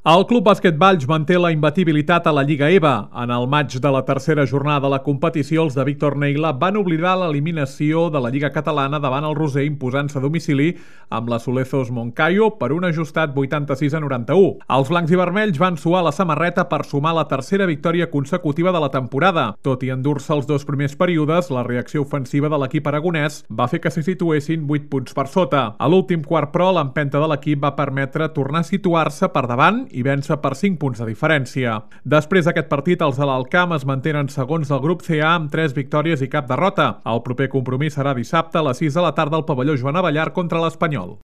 El Club Bàsquet Valls manté la imbatibilitat a la Lliga EVA. En el maig de la tercera jornada de la competició, els de Víctor Neila van oblidar l'eliminació de la Lliga Catalana davant el Roser, imposant-se a domicili amb la Solezos Moncayo per un ajustat 86-91. Els blancs i vermells van suar la samarreta per sumar la tercera victòria consecutiva de la temporada. Tot i endur-se els dos primers períodes, la reacció ofensiva de l'equip aragonès va fer que se situessin 8 punts per sota. A l'últim quart, però, l'empenta de l'equip va permetre tornar a situar-se per davant i vèncer per 5 punts de diferència. Després d'aquest partit, els de l'Alcamp es mantenen segons del grup CA amb 3 victòries i cap derrota. El proper compromís serà dissabte a les 6 de la tarda al pavelló Joan Abellar contra l'Espanyol.